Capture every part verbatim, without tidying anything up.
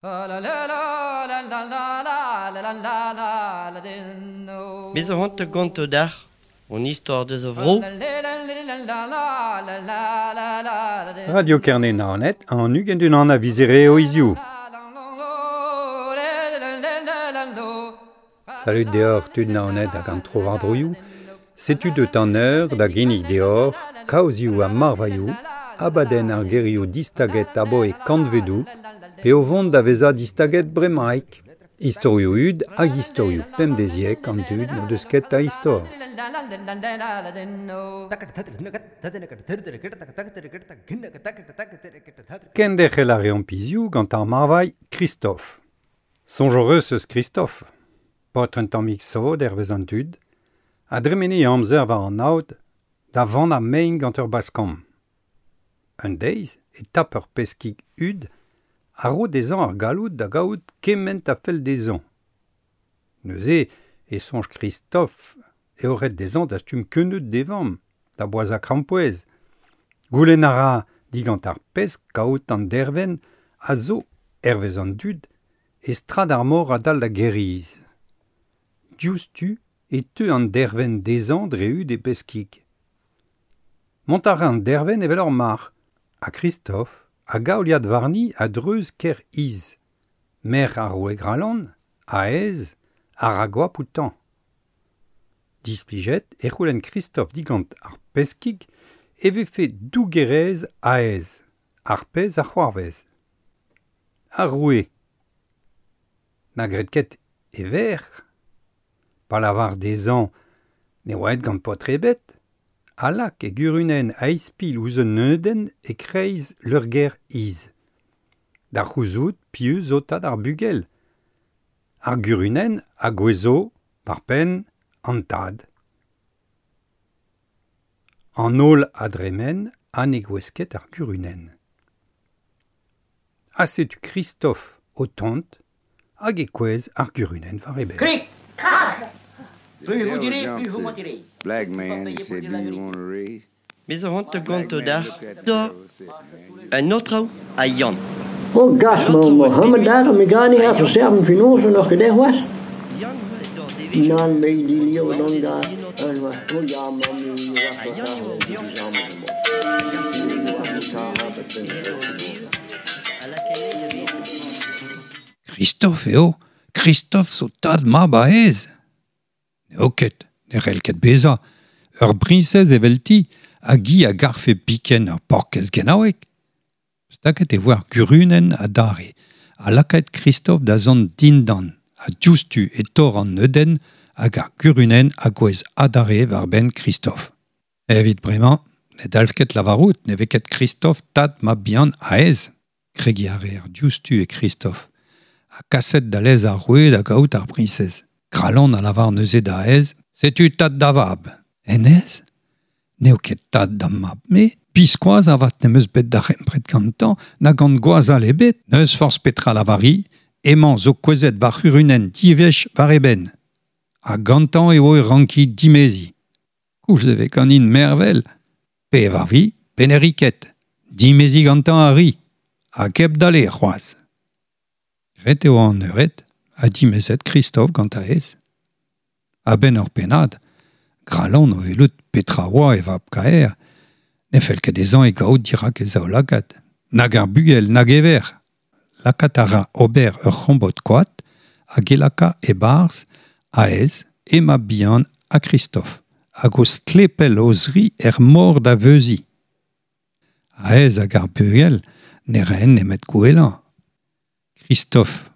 Bez a c'hoant gonto dac'h, on istor deus a vro. Radio Kerne Naoned an ugent unan a vizere o hiziv. Salut deoc'h tud Naoned hag an tro-war-droioù. Setu deut an eur da ginnig deoc'h, kaozioù ha marvailhoù, abadenn ar gerioù distaget aboe kantvedoù, pe o vont da vezañ distaget bremaik. Istorioù hud hag istorioù pemdeziek an dud n'o deus ket a istor. Kenderc'hel a reomp hiziv gant ar marvailh Christophe. Soñj hoc'h eus eus Christophe. Paotr un tammig sod hervez an dud, a dremene e amzer war an aod da vannañ mein gant ur baskamm. Un deiz e tap ur peskig hud a ro dezhañ ar galloud da gaout kement a fell dezhañ. Neuze e soñj Christophe eo ret dezhañ dastum keuneud d'e vamm, da boazhañ krampouezh. Goulenn a ra digant ar pesk kaout an dervenn a zo, hervez an dud, e strad ar mor a-dal da Gêr-Iz. Diouzhtu e teu an dervenn dezhañ dre hud e peskig. Mont a ra an dervenn evel ur marc'h, ha Christophe a gaoliad warni a-dreuz Kêr-Iz. Merc'h ar roue Gralon, Ahez, a ra goap outañ. Displijet e c'houlenn Christophe digant ar peskig e vefe dougerez Ahez, ar pezh a c'hoarvez. Ar roue na gred ket e verc'h, pa lavar dezhañ ne oa aet gant paotr ebet, a lak e gurunenn a-ispilh ouzh un neudenn e-kreiz leurgêr Iz. Da c'houzout piv zo tad ar bugel. Ar gurunenn a gouezho war penn an tad. An holl a dremen ha ne gouez ket ar gurunenn. Ha setu Christophe o tont hag e kouezh ar gurunenn war e benn. Krik, krak! The devil jumped to black man and said, do you want a raise? Bez a c'hoant Black gonto man dac'h, looked at the da devil and said, man, you un autre a Yann. Oh gas, ma Mohammed daar, mi gani ha verserven finoze nog gedegwas. Yann dor devezh. Nan me di lio dan da. En wa oh ja ma mi Christophe eo, Christophe zo tad mab Ahez. N'eo ket, ne c'hell ket bezañ. Ur briñsez evelti hag hi a garfe biken ur paourkaezh genaoueg. Staget e voe ar gurunenn adarre, ha lakaet Christophe da zont dindan, ha diouzhtu e torr an neudenn hag ar gurunenn a gouez adarre war benn Christophe. Evit bremañ, ne dalv ket lavarout ne vez ket Christophe tad mab bihan Ahez. Kregiñ a reer diouzhtu e Christophe, ha kaset da lez ar roue da gaout ar briñsez. Gralon a lavar neuze da Ahez, setu tad da vab. Hennezh n'eo ket tad da mab me, biskoazh avat n'em eus bet darempred gantañ na gant gwaz all ebet, n'eus forzh petra lavari, emañ zo kouezhet war c'hurunenn diwech war e benn. Ha gantañ eo e ranki dimeziñ. Koulz e vez ganin mervel, pe war vi, pe ne ri ket, dimeziñ gantañ a ri, hag hep dale c'hoazh. Ret eo an eured, ha dimezet Christophe gant Ahez. A-benn ur pennad, Gralon o welout petra oa e vab kaer, ne fell ket dezhañ e gaout dirak e zaoulagad, nag ar bugel, nag e verc'h. Lakaat a ra ober ur c'hombod koad hag e laka e-barzh Ahez, e mab bihan ha Christophe, hag o stlepel o zri er mor da veuziñ. Ahez hag ar bugel ne raent nemet gouelañ. Christophe,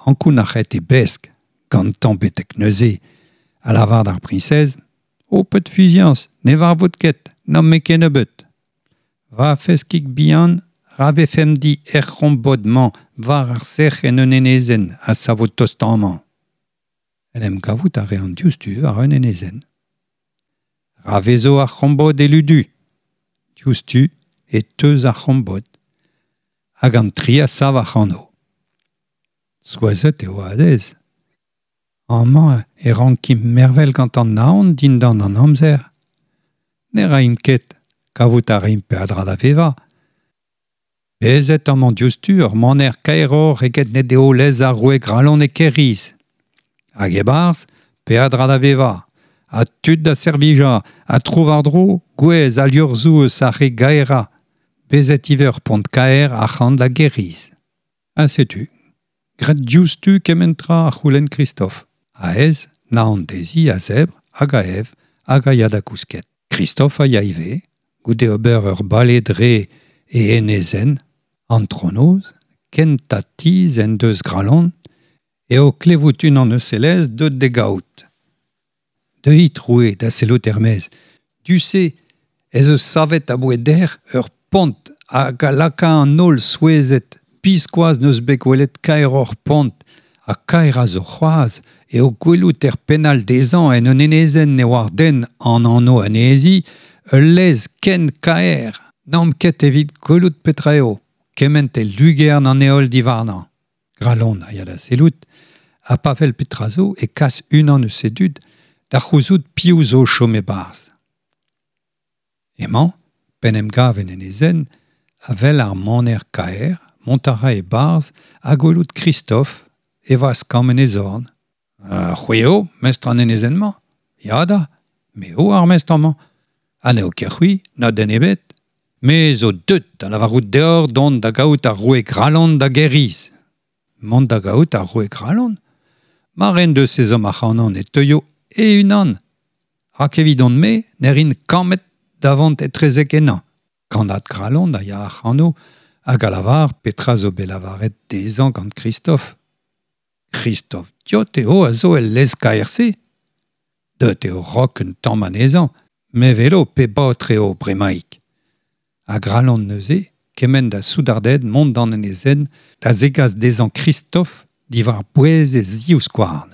ankounac'het e besk, gantañ betek neuze, a lavar d'ar priñsez, ho pet fiziañs, ne varvot ket, n'am me kennebeut. Va feskig bihan, ra vefemp di er c'hombod-mañ war ar sec'h en un enezenn a savo tost amañ. En em gavout a reont diouzhtu war un enezenn. Ra vezo ar c'hombod e ludu. Diouzhtu e teuz ar c'hombod. Hag an tri a sav ac'hano. Souezhet eo Ahez. Amañ e rankimp mervel gant an naon dindan an amzer. Ne raimp ket, kavout a raimp peadra da vevañ. Bezet amañ diouzhtu ur maner kaeroc'h eget ne deo lez ar roue Gralon e Kêr-Iz. Hag e-barzh, peadra da vevañ, ha tud da servijañ, ha tro-war-dro, gwez ha liorzhoù eus ar re gaerañ. Bezet ivez ur pont kaer ac'hann da Gêr-Iz. Ha setu, graet diouzhtu kement tra a c'houlenn Christophe. A-ez, naon dezhi a zebr hag a ev hag a ya da kousket. Christophe a ya ivez, goude ober ur bale dre e enezenn, antronoz, kentañ tizh en deus Gralon, eo klevout unan eus e lez deut d'e gaout. Deuit roue da sellout er-maez. Du-se ez eus savet aboe dec'h ur pont hag a laka an holl souezhet. Biskoazh n'eus bet gwelet kaeroc'h pont, ha kaer a zo c'hoazh eo gwelout er pennal dezhañ en un enezenn ne oar den an anv anezhi, ul lez ken kaer, n'omp ket evit gwelout petra eo, kement e lugern an heol diwarnañ. Gralon a ya da sellout, ha pa wel petra zo e kas unan eus e dud da c'houzout piv zo chom e-barzh. Emañ, p'en em gav en enezenn, a wel ar maner kaer, mont a ra e-barzh ha gwelout Christophe e vazh-kamm en e zorn. Uh, c'hwi eo, mestr an enezenn-mañ? Ya da, me eo ar mestr amañ. Ha n'eo ket c'hwi, na den ebet. Me zo deut da lavarout deoc'h dont da gaout ar roue Gralon da Gêr-Iz. Mont da gaout ar roue Gralon? Mar en deus ezhomm ac'hanon e teuio e-unan. Rak evidon-me ne rin kammed da vont etrezek ennañ. Kannad Gralon a ya ac'hano hag a lavar petra zo bet lavaret dezhañ gant Christophe. Christophe diot eo a zo el lez kaer-se. Deut eo rok un tamm anezhañ, me velo pe baotr eo bremaik. Ha Gralon neuze, kement da soudarded mont d'an enezenn da zegas dezhañ Christophe diwar bouez e zivskouarn.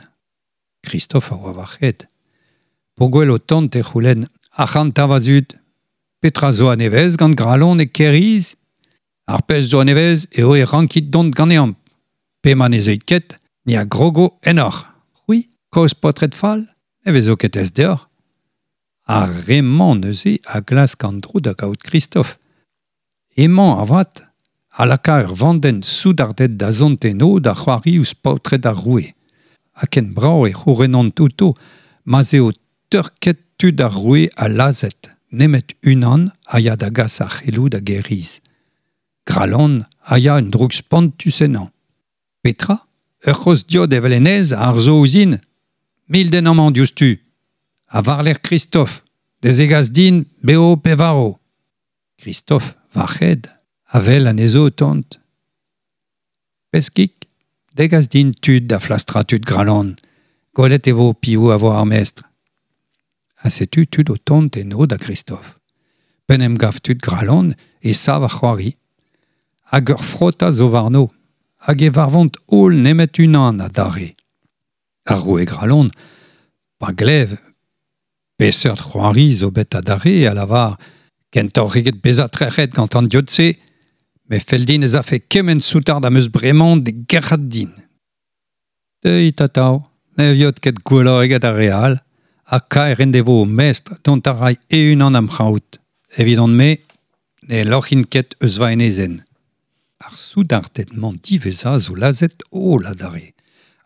Christophe a oa war-c'hed. P'o gwel o tont e c'houlenn ac'hanta va zud. Petra zo a-nevez gant Gralon e Kêr-Iz? Ar pezh zo a-nevez eo e rankit dont ganeomp. Pe ma ne zeuit ket, ni a grogo ennoc'h. C'hwi, kozh paotred fall, ne vezo ket aes deoc'h. Ar re-mañ neuze a glask an dro da gaout Christophe. Emañ avat a laka ur vandenn soudarded da zont eno da c'hoari ouzh paotred ar roue. Ha ken brav e c'hourenont outo ma'z eo teurket tud ar roue ha lazhet, nemet unan a ya da gas ar c'heloù da Gêr-Iz. Gralon a ya un droug spontus ennañ. Petra? Ur c'hozh diot evel hennezh a arzo ouzhin. Mil den amañ diouzhtu. Ha war-lerc'h Christophe, da zegas din bev pe varv. Christophe, war-c'hed, a wel anezho o tont. Peskig, degas din tud da flastrañ tud Gralon. Gwelet e vo piv a vo ar mestr. Ha setu tud o tont eno da Christophe. P'en em gav tud Gralon e sav ar c'hoari. Hag ur frotañ zo warno, hag e varvont holl nemet unan adarre. Ar roue Gralon, pa glev, peseurt c'hoari zo bet adarre a lavar kentoc'h eget bezañ trec'het gant an diod-se, me fell din ez afe kement soudard am eus bremañ d'e gerc'hat din. Deuit atav, ne viot ket gwelloc'h eget ar re all, ha kaer en devo ho mestr dont a ray e-unan am c'haout. Evidon-me, ne loc'hin ket eus va enezenn. Ar soudarded-mañ diwezhañ zo lazhet holl adarre,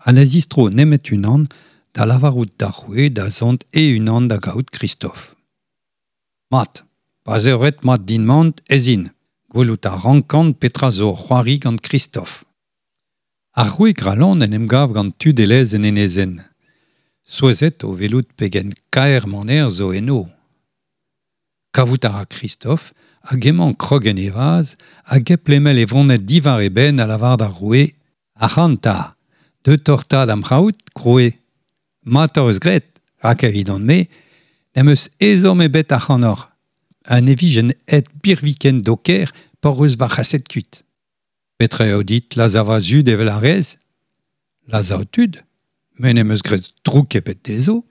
ha ne zistro nemet unan da lavarout d'ar roue da zont e-unan da gaout Christophe. Mat, pa'z eo ret mat din mont ez in, gwelout a rankan petra zo c'hoari gant Christophe. Ar roue Gralon en em gav gant tud e lez en enezenn. Souezhet o welout pegen kaer maner zo eno. Kavout a ra Christophe hag emañ krog en e vazh hag hep lemel e voned diwar e benn a lavar d'ar roue Ac'hanta, deut oc'h 'ta d'am c'haout, roue. Mat hoc'h eus graet, rak evidon-me, n'em eus ezhomm ebet ac'hanoc'h. Ha ne vijen aet birviken d'ho kêr p'hoc'h eus va c'haset kuit. Petra eo dit lazhañ va zud evel a rez? Lazhañ ho tud? Me n'em eus graet droug ebet dezho.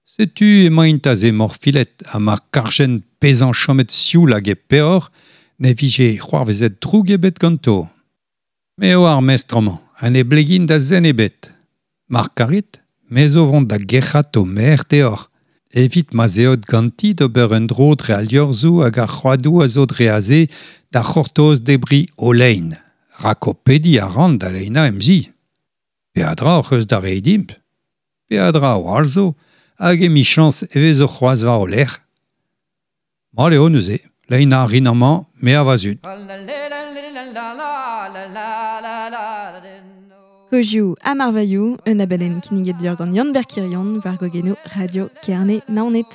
Setu emaint aze morfilet ha ma karjen bezañ chomet sioul hag e peoc'h ne vije c'hoarvezet droug ebet ganto. Me eo ar mestr amañ, ha ne blegin da zen ebet. Mar karit, me zo vont da gerc'hat ho merc'h deoc'h, Evit ma zeot ganti d'ober un dro dre al liorzhoù hag ar c'hoadoù a zo dre aze da c'hortoz debri o lein. Rak ho pediñ a ran da leinañ em zi. Peadra hoc'h eus da reiñ dimp. Peadra a-walc'h zo, hag emichañs e vezo c'hoazh war ho lerc'h. Mat eo neuze, leinañ a rin amañ, me ha va zud. Kozioù ha marvailhoù, un abadenn kinniget deoc'h gant Yann-Ber Quirion war gwagennoù Radio Kerne Naoned.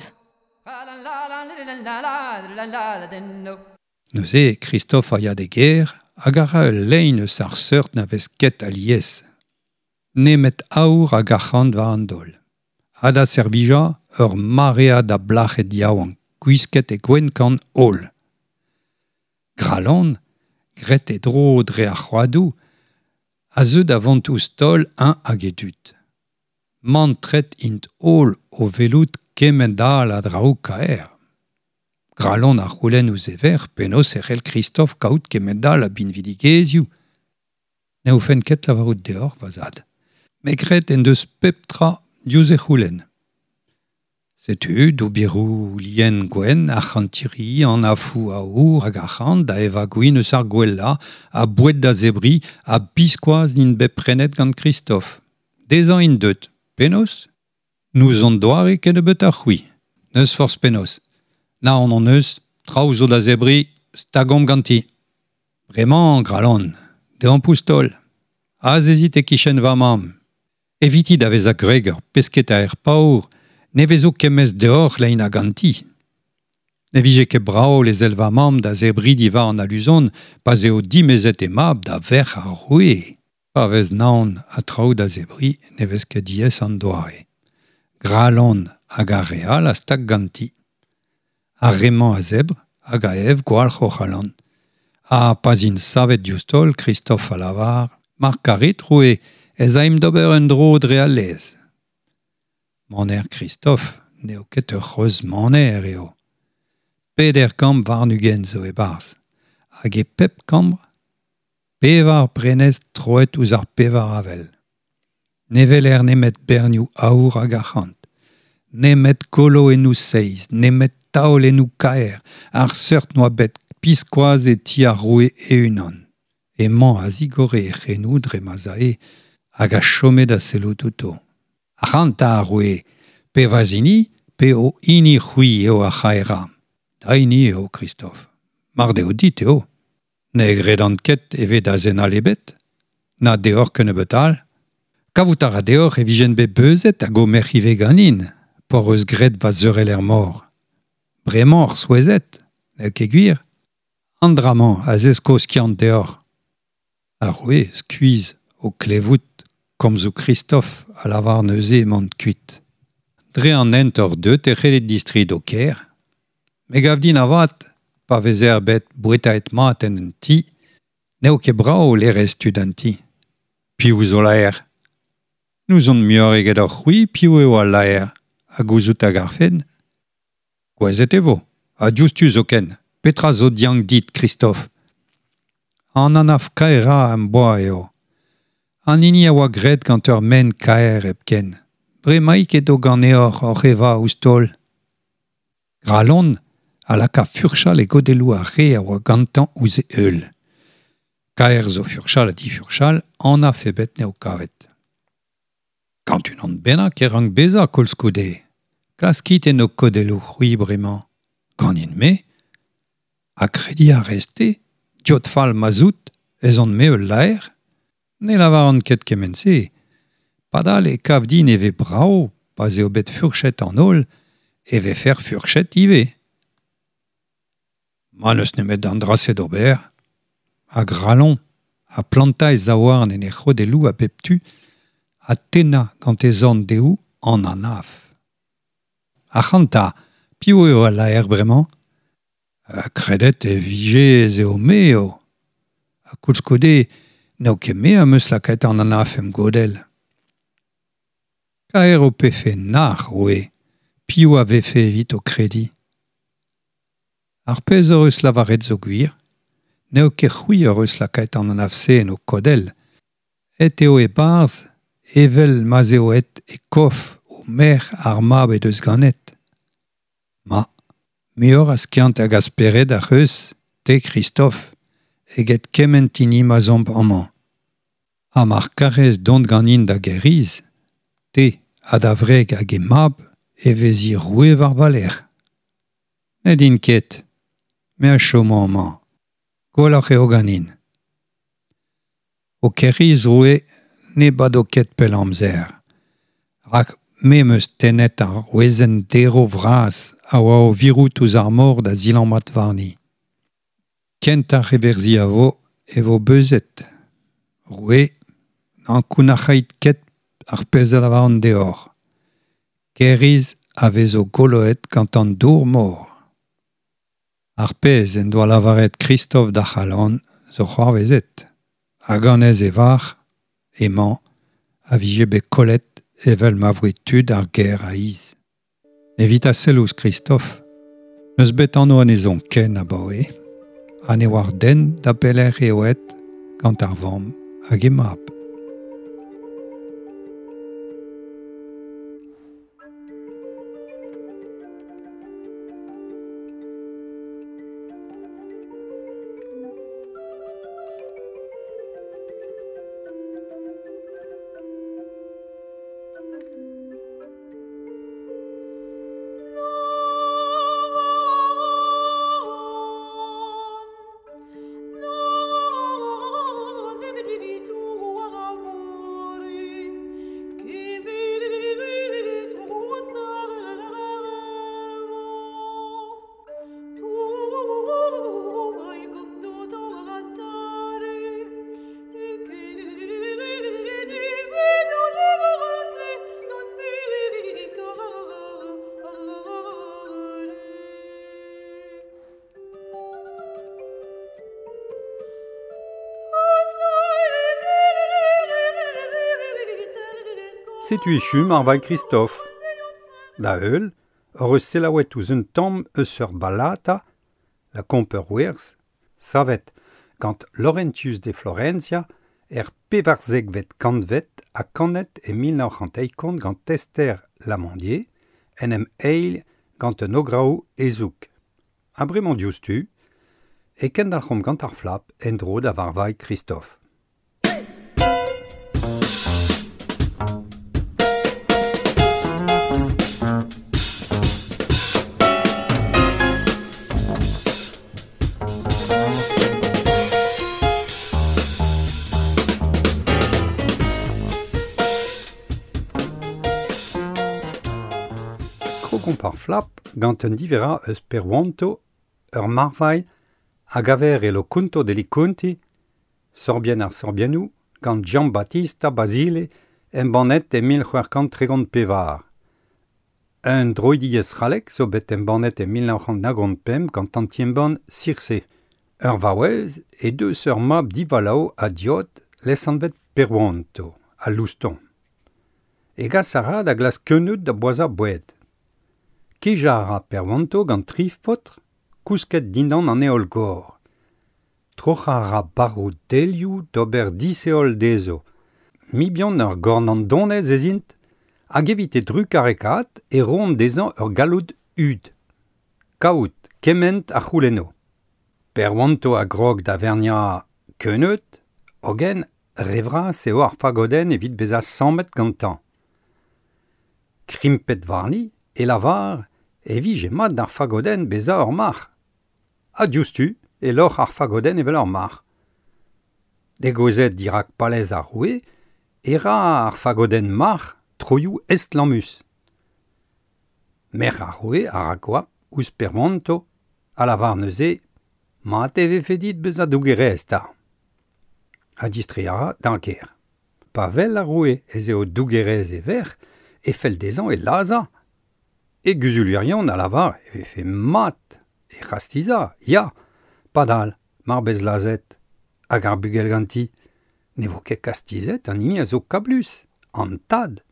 Neuze, Christophe a ya d'e gêr hag a ra ul lein eus ar seurt na vez ket alies. Nemet aour hag arc'hant war an daol. Ha da servijañ ur maread a blac'hed yaouank, gwisket e gwenn-kann holl. Gralon, graet e dro dre ar c'hoadoù, a zeu da vont ouzh taol eñ hag e dud. Mantret int holl o welout kement all a draoù kaer. Gralon a c'houlenn ouzh e verc'h penaos e c'hell Christophe kaout kement all a binvidigezhioù. Ne oufen ket lavarout deoc'h, va zad. Met graet en deus pep tra diouzh e c'houlenn. Setu doubiroù lien gwenn, arc'hantiri, an afoù aour hag arc'hant da evañ gwin eus ar gwellañ, ha boued da zebriñ, ha biskoazh n'int bet prenet gant Christophe. Dezhañ int deut. Penaos ? N'ouzon doare kennebeut ha c'hwi. N'eus forzh penaos. Naon hon eus, traoù zo da zebriñ, stagomp ganti. Bremañ, Gralon, deomp ouzh taol. Azezit e-kichen va mamm. Eviti da vezañ gwreg ur pesketaer paour, ne vezo kemez deoc'h leinañ ganti. Ne vije ket brav lezel va mamm da zebriñ diwar an aluzon pa'z eo dimezet he mab da verc'h ar roue. Pa vez naon ha traoù da zebriñ ne vez ket diaes an doare. Gralon hag ar re all a stag ganti. Ar re-mañ a zebr hag a ev gwalc'h o c'halan. Ha pa'z int savet diouzh taol, Christophe a lavar, mar karit, roue, ez aimp d'ober un dro dre al lez. Maner Christophe n'eo ket ur c'hreuz maner eo. Peder kambr warn-ugent zo e-barzh. Hag e pep kambr, pevar prenestr troet ouzh ar pevar avel. Ne weler nemet bernioù aour hag arc'hant, nemet koloennoù seiz, nemet taolennoù kaer, ar seurt n'oa bet biskoazh e ti ar roue e-unan. Emañ a zigore e c'henoù dre ma'z ae hag a chome da sellout outo. Ac'hanta ar roue, pe va zini, pe ho hini c'hwi eo ar c'haerañ. Da hini eo, Christophe. Mar deo dit eo. Ne gredan ket e ve da zen all ebet. Na deoc'h kennebeut all. Kavout a ra deoc'h e vijen bet beuzet hag ho merc'h ivez ganin, p'hoc'h eus graet va zeurel er mor. Bremañ oc'h souezhet, n'eo ket gwir. An dra-mañ a zesko skiant deoc'h. Ar roue skuizh o klevout komzoù Christophe a lavar neuze emañ kuit. Dre an hent oc'h deut e c'hellit distreiñ d'ho kêr. Me gav din avat, pa vezer bet bouetaet mat en un ti, n'eo ket brav lerez tud an ti. Piv zo laer ? N'ouzon muioc'h eget hoc'h c'hwi piv eo al laer, ha gouzout a garfen. Gouezet e vo, ha diouzhtu zoken. Petra zo diank dit, Christophe ? An anaf kaerañ am boa eo. An hini a oa graet gant ur maen kaer hepken. Bremaik edo ganeoc'h oc'h evañ ouzh taol. Gralon a laka furchal e godelloù ar re a oa gantañ ouzh e heul. Kaer zo furchal ha difurchal, anaf ebet n'eo kavet. Gant unan bennak e rank bezañ koulskoude. Klaskit en ho kodelloù c'hwi bremañ. Ganin-me ? Ha krediñ a rez-te, diot fall ma 'z out, ez on-me ul laer ? Ne lavaran ket kement-se. Padal e kav din e vez brav, pa'z eo bet furchet an holl, e vefer furchet ivez. Ma n'eus nemet an dra-se d'ober. Ha Gralon, ha plantañ e zaouarn en e c'hodelloù a bep tu, ha tennañ gant e zorn dehou an anaf. Ac'hanta, piv eo al laer bremañ ? Ha kredet e vije ez eo me eo. Ha koulskoude, n'eo ket me am eus lakaet an anaf em godell. Kaer ho pefe nac'h, roue, piv a vefe evit ho krediñ ? Ar pezh hoc'h eus lavaret zo gwir, n'eo ket c'hwi hoc'h eus lakaet an anaf-se en ho kodell. Et eo e-barzh, evel ma'z eo aet e kof ho merc'h ar mab he deus ganet. Ma, muioc'h a skiant hag a spered ac'h eus, te Christophe, eget kement hini ma 'z omp amañ. Ha mar karez dont ganin da Gêr-Iz, te ha da wreg hag he mab e vezi roue war va lerc'h. Ne din ket, me a chomo amañ. Gwelloc'h eo ganin. O Kêr-Iz, roue, ne bado ket pell amzer. Rak me 'm eus tennet ar wezenn derv vras a oa o virout ouzh ar mor da zilammat warni. Kent ar reverzhi a vo e vo beuzet. Roue, n'ankounac'hait ket ar pezh a lavaran deoc'h. Kêr-Iz a vezo goloet gant an dour-mor. Ar pezh en doa lavaret Christophe da C'halan zo c'hoarvezet. Hag anez e varc'h, emañ, a vije bet kollet evel ma voe tud ar gêr a-is. Evit a sell ouzh Christophe, n'eus bet anv anezhañ ken abaoe, ha ne oar den da belec'h eo aet gant ar vamm hag he mab. Setu echu marvailh Christophe. Da heul, hor eus selaouet ouzh un tamm eus ur ballata, la Komper Werz, savet gant Laurentius de Florentia er pevarzekvet kantved ha kanet e mil nav c'hant eizh gant Esther Lamandier, en em eil gant un ograoù ezoug. Ha bremañ diouzhtu, e kendalc'homp gant ar flap en-dro da varvailh Christophe. Krogomp ar flap gant un diverra eus Peruanto, ur marvailh hag aver e lo Conto degli Conti, Sorbien ar Sorbiennoù, gant Giambattista Basile embannet e mil c'hwec'h kant tregont pevar. Un droidigezh c'hallek zo bet embannet e mil nav c'hant naogont pemp gant an ti-embann Circé. Ur vaouez e deus ur mab divalav ha diot lesanvet Peruanto, a Louston. E gas a ra da glask keuneud da boazhañ boued. Kejañ a ra Peruanto gant tri faotr kousket dindan an heol-gor. Troc'hañ a ra barroù delioù d'ober disheol dezho. Mibion ur gornandonez ez int, hag evit e drugarekaat e roont dezhañ ur galloud hud. Kaout kement a c'houlenno. Peruanto a grog da verniañ keuneud, hogen re vras eo ar fagodenn evit bezañ sammet gantañ. Krimpet warni e lavar e vije mat d'ar fagodenn bezañ ur marc'h. Ha diouzhtu e loc'h ar fagodenn evel ur marc'h. Degouezhet dirak palez ar roue, e ra ar fagodenn marc'h troioù estlammus. Merc'h ar roue a ra goap ouzh Peruanto, a lavar neuze mat e vefe dit bezañ dougerez 'ta. Ha distreiñ a ra d'ar gêr. Pa wel ar roue ez eo dougerez e verc'h, e fell dezhañ e lazhañ. E guzulerion a lavar e vefe mat e c'hastizañ, ya, padal, mar bez lazhet, hag ar bugel ganti, ne vo ket kastizet an hini a zo kablus, an tad.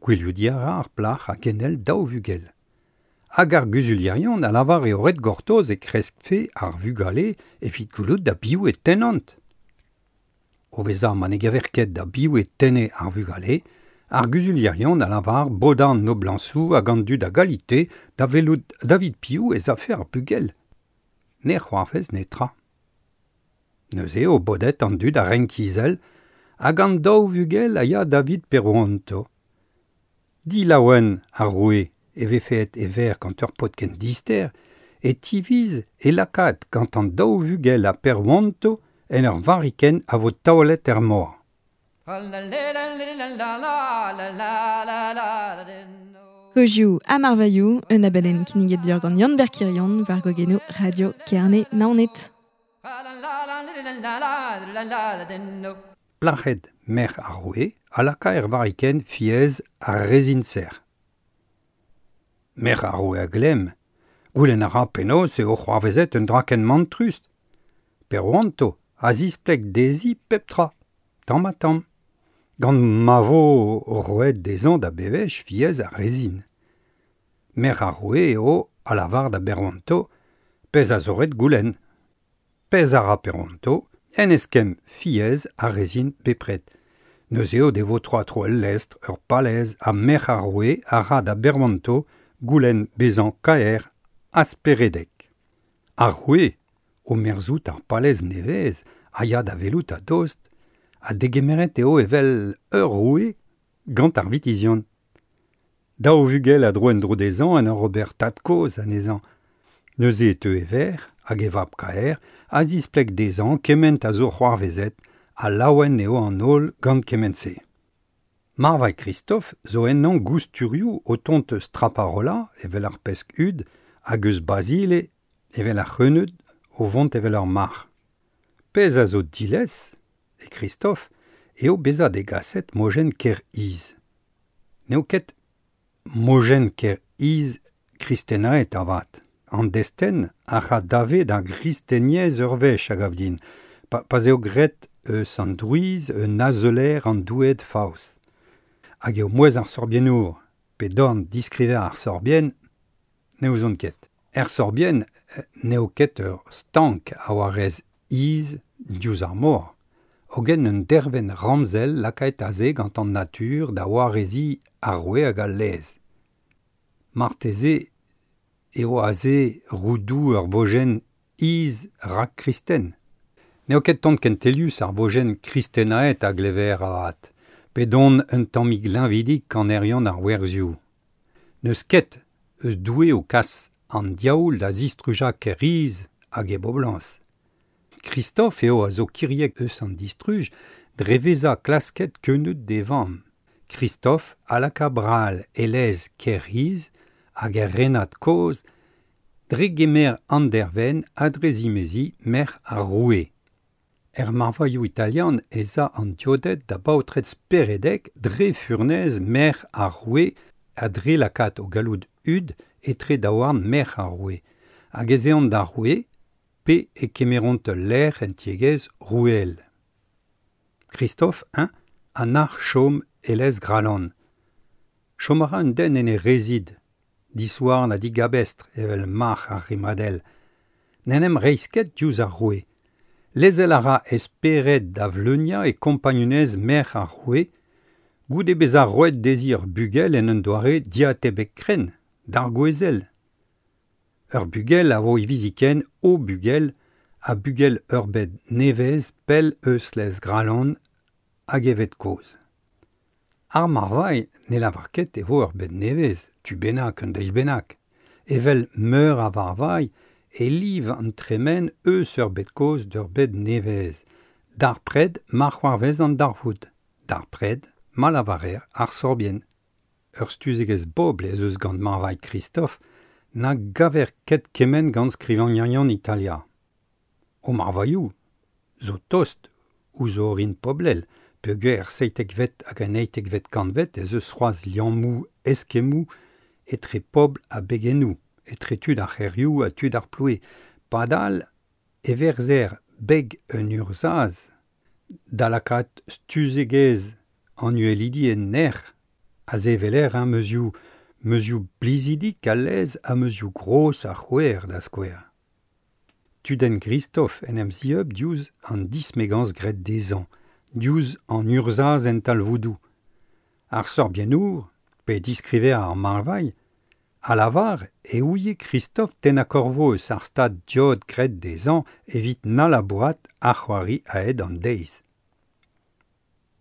Gwilhoudiñ a ra ar plac'h a genel daou vugel. Hag ar guzulerion a lavar eo ret gortoz e kreskfe ar vugale evit goulout da biv e tennont. O vezañ ma ne gaver ket da biv e tenne ar vugale, Ar guzulierion a lavar bodan noblañsoù hag an dud a galite da welout David Piou ez afer ar bugel. Ne c'hoarvez netra. Neuze eo bodet an dud a renk izel hag an daou vugel a ya David Perouanto. Dilaouen ar roue e vefe e ver gant ur paotr ken dister e tiviz e lakaat gant an daou vugel a Perouanto en ur varikenn a vo taolet er mor. Kozioù ha marvailhoù, un abadenn kinniget deoc'h gant Yann-Ber Kirion war gogenoù Radio Kerne Naoned. Plac'hed merc'h ar roue a laka er varikenn fiez ar rezin-serr. Merc'h ar roue a glemm, goulenn a ra penaos eo c'hoarvezet un dra ken mantrus. Perouanto a zispleg dezhi pep tra, tamm ha tamm. Gant ma vo roet dezhañ da bevech fiez ar rezin. Merc'h ar roue eo a lavar da Perouanto pezh a zo ret goulenn. Pezh a ra Perouanto en eskemm fiez ar rezin bepred. Neuze eo devo tro tro el lestr ur palez ha merc'h ar roue a ra da Perouanto goulenn bezañ kaer ha speredek. Ar roue, o merzout ar palez nevez, a ya da welout a dost, a degemeret eo evel ur roue gant ar vitizion. Daou vugel a dro en-dro dezhañ en ur ober tad-kozh anezhañ. Neuze e teu e verc'h hag e vab kaer a zispleg dezhañ kement a zo c'hoarvezet ha laouen eo an holl gant kement-se. Marvailh Christophe zo ennañ gousturioù o tont eus Traparola evel ar pesk hud hag eus Basile evel ar c'heuneud o vont evel ar marc'h. Pezh a zo dilez e Christophe eo bezañ degaset mojenn Ker-Iz. N'eo ket mojenn Ker-Iz kristenaet avat. An destenn a ra dave d'ar gristeniezh ur wech a gav din, pa, pa'z eo graet eus an drouiz un azeuler an doueed faos. Hag eo mouezh ar sorbiennour, pe dorn diskriver ar sorbienn, ne ouzon ket. Er sorbienn n'eo ket ur stank a warez iz diouzh ar mor. Hogen un dervenn ramzel lakaet aze gant an natur da warezi ar roue hag al lez. Marteze eo aze roudoù ur vojenn iz rak-kristen. N'eo ket tant kentelius ar vojenn kristenaet a glever avat, pe don un tammig liñvidik kanerion ar werzioù. N'eus ket eus doue o kas an diaoul da zistrujañ Ker-Iz hag e boblañs. Christophe eo a zo kiriek eus an distruj dre vezañ klasket keuneud d'e vamm. Christophe a laka bral e lez Ker-Iz hag er renad kozh dre gemer an dervenn ha dre zimezi merc'h ar roue. Er marvailhoù italian ez a an dioded da baotred speredek dre furnez merc'h ar roue ha dre lakaat o galloud hud etre daouarn merc'h ar roue. Hag ez eont d'ar roue pe e kemeront ul lec'h en tiegezh roueel. Christophe un a nac'h chom e lez Gralan. Chom a ra un den en e rezid, disouarn ha digabestr evel marc'h ar rimadell. N'en em reizh ket diouzh ar roue. Lezel a ra esperet da vleuniañ e kompagnunez merc'h ar roue, goude bezañ roet dezhi ur bugel en un doare diatebek krenn, d'ar gouezel. Ur bugel a vo hiviziken o bugel ha bugel ur bed nevez pell eus lez Gralan hag evet kozh. Ar marvailh ne lavar ket e vo ur bed nevez, tu bennak un deiz bennak. Evel meur a varvailh e liv an tremen eus ur bed kozh d'ur bed nevez. D'ar pred ma c'hoarvez an darvoud. D'ar pred ma lavarer ar sorbienn. Ur stuzegezh bobl ez eus gant marvailh Christophe na gaver ket kement gant skrivagnerion Italia. O marvailhoù zo tost ouzh orin poblel, peogwir er seitekvet hag an eitekvet kantved ez eus c'hoazh liammoù eskemmoù etre pobl ha begennoù, etre tud ar c'hêrioù ha tud ar ploue. Padal e verzer beg un urzhaz da lakaat stuzegezh an uhelidi en nec'h a seveler un meuzioù meuzioù blizidik a lez ha meuzioù gros a c'houer da skouer. Tudenn Christophe en em zieub diouzh an dismegañs graet dezhañ, diouzh an urzhaz en talvoudoù. Ar sorbiennour, pe diskriver ar marvailh, a lavar e ouie Christophe tenna korvo eus ar stad diod graet dezhañ evit na labourat ar c'hoari aet an deiz.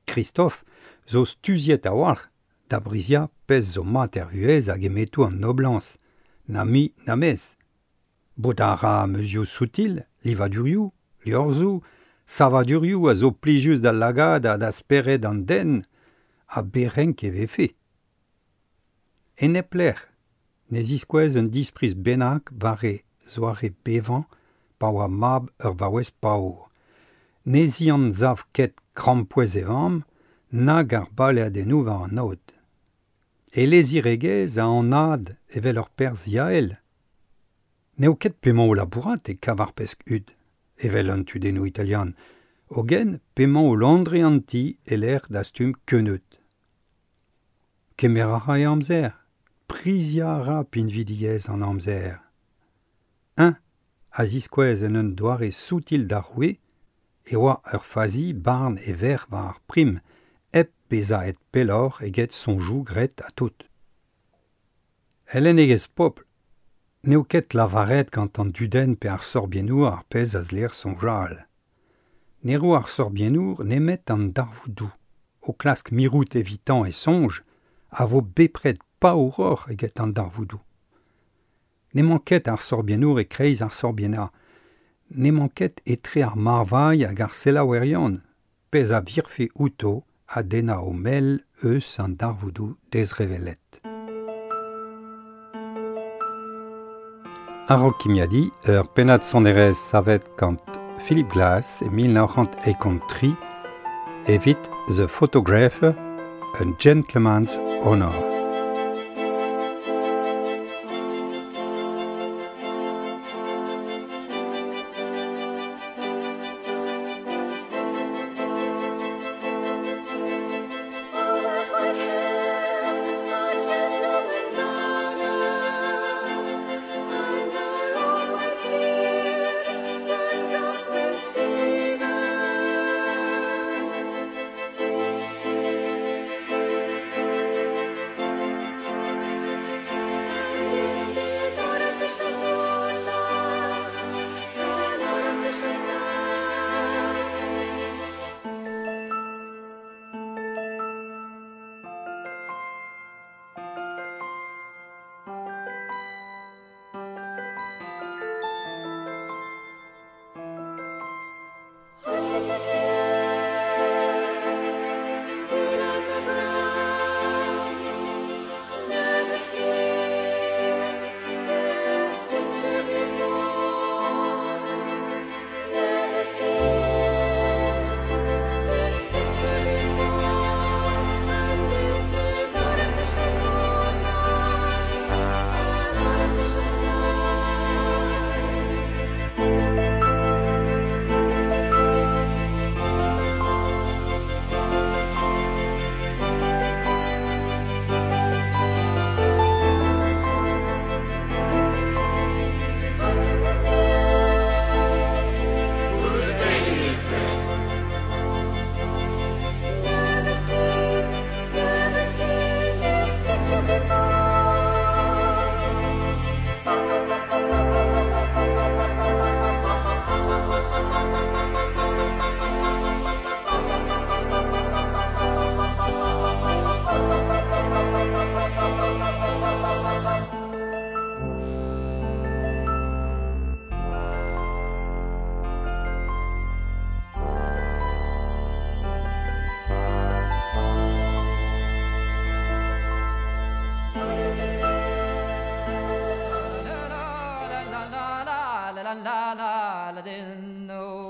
Christophe zo stuziet a-walc'h da briziañ pezh zo mat er vuhez hag emetoù an noblañs, na mi na mez. Bodañ a ra meuzioù soutil, livadurioù, liorzhoù, savadurioù a zo plijus d'al lagad ha da spered an den, ha berenk e vefe. E nep lec'h, ne ziskouez un dispriz bennak war e zoare bevañ pa oa mab ur vaouez paour. Ne zianzav ket krampouezh e vamm, nag ar baleadennoù war an aod. E leziregezh a anad evel ur perzh yael. N'eo ket p'emañ o labourat e kav ar pesk hud, evel an tudennoù italian, hogen p'emañ o landre an ti e lec'h dastum keuneud. Kemer a ra e amzer, priziañ a ra pinvidigezh an amzer. Un a ziskouez en un doare soutil d'ar roue e oa ur fazi barn e verc'h war ar prim, hep bezañ aet pelloc'h eget soñjoù graet ha tout. El lennegezh pobl, n'eo ket lavaret gant an dudenn pe ar sorbiennour ar pezh a zleer soñjal. Ne ro ar sorbiennour nemet an darvoudoù, o klask mirout evitañ e soñj, a vo bepred paouroc'h eget an darvoudoù. N'emañ ket ar sorbiennour e-kreiz ar sorbiennañ, n'emañ ket etre ar marvailh hag ar selaouerion, pezh a virfe outo a dennañ o mell eus an darvoudoù dezrevellet. A-raok kimiadiñ, ur pennad sonerezh savet gant Philip Glass e mil nav c'hant eizh tri evit The Photographer, A Gentleman's Honor.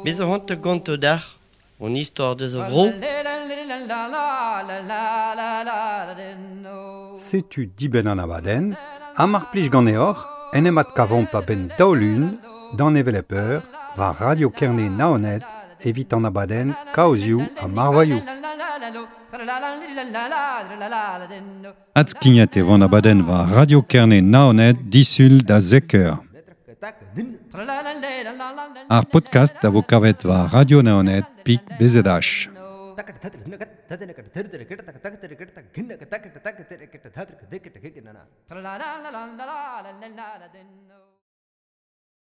Bez a c'hoant gonto dac'h, on istor deus a vro. Setu dibenn an abadenn, ha mar plij ganeoc'h, en em adkavomp a-benn daou-lun, d'an hevelep eur, war Radio Kerne Naoned, evit an abadenn Kaozioù ha Marvailhoù. Adskignat e vo an abadenn war Radio Kerne Naoned disul da zek eur. Ar podcast a vo kavet war Radio Naoned pik B Z H. Tra la la la la la la la la la.